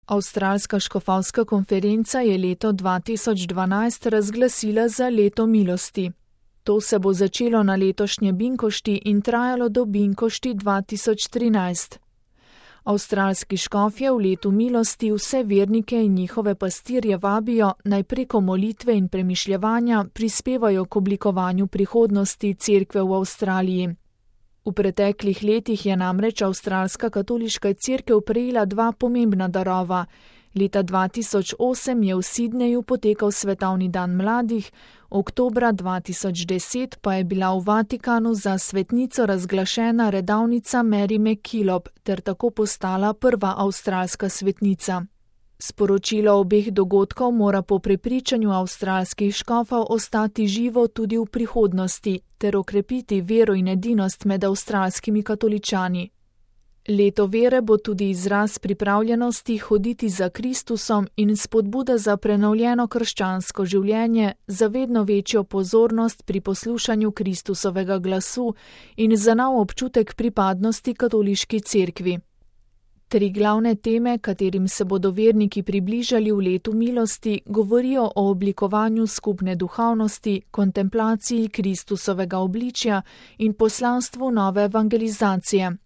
Avstralska škofovska konferenca je leto 2012 razglasila za leto milosti. To se bo začelo na letošnje Binkošti in trajalo do Binkošti 2013. Avstralski škofje v letu milosti vse vernike in njihove pastirje vabijo, naj preko molitve in premišljevanja prispevajo k oblikovanju prihodnosti cerkve v Avstraliji. V preteklih letih je namreč Avstralska katoliška cerkev prejela dva pomembna darova. Leta 2008 je v Sydneyju potekal svetovni dan mladih, oktobra 2010 pa je bila v Vatikanu za svetnico razglašena redavnica Mary MacKillop ter tako postala prva avstralska svetnica. Sporočilo obeh dogodkov mora po prepričanju avstralskih škofov ostati živo tudi v prihodnosti ter okrepiti vero in edinost med avstralskimi katoličani. Leto vere bo tudi izraz pripravljenosti hoditi za Kristusom in spodbuda za prenovljeno krščansko življenje, za vedno večjo pozornost pri poslušanju Kristusovega glasu in za nov občutek pripadnosti katoliški cerkvi. Tri glavne teme, katerim se bodo verniki približali v letu milosti, govorijo o oblikovanju skupne duhovnosti, kontemplaciji Kristusovega obličja in poslanstvu nove evangelizacije.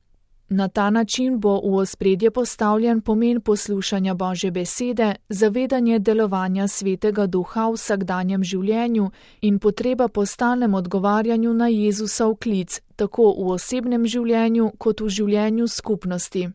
Na ta način bo v ospredje postavljen pomen poslušanja Božje besede, zavedanje delovanja Svetega Duha v vsakdanjem življenju in potreba po stalnem odgovarjanju na Jezusov klic, tako v osebnem življenju kot v življenju skupnosti.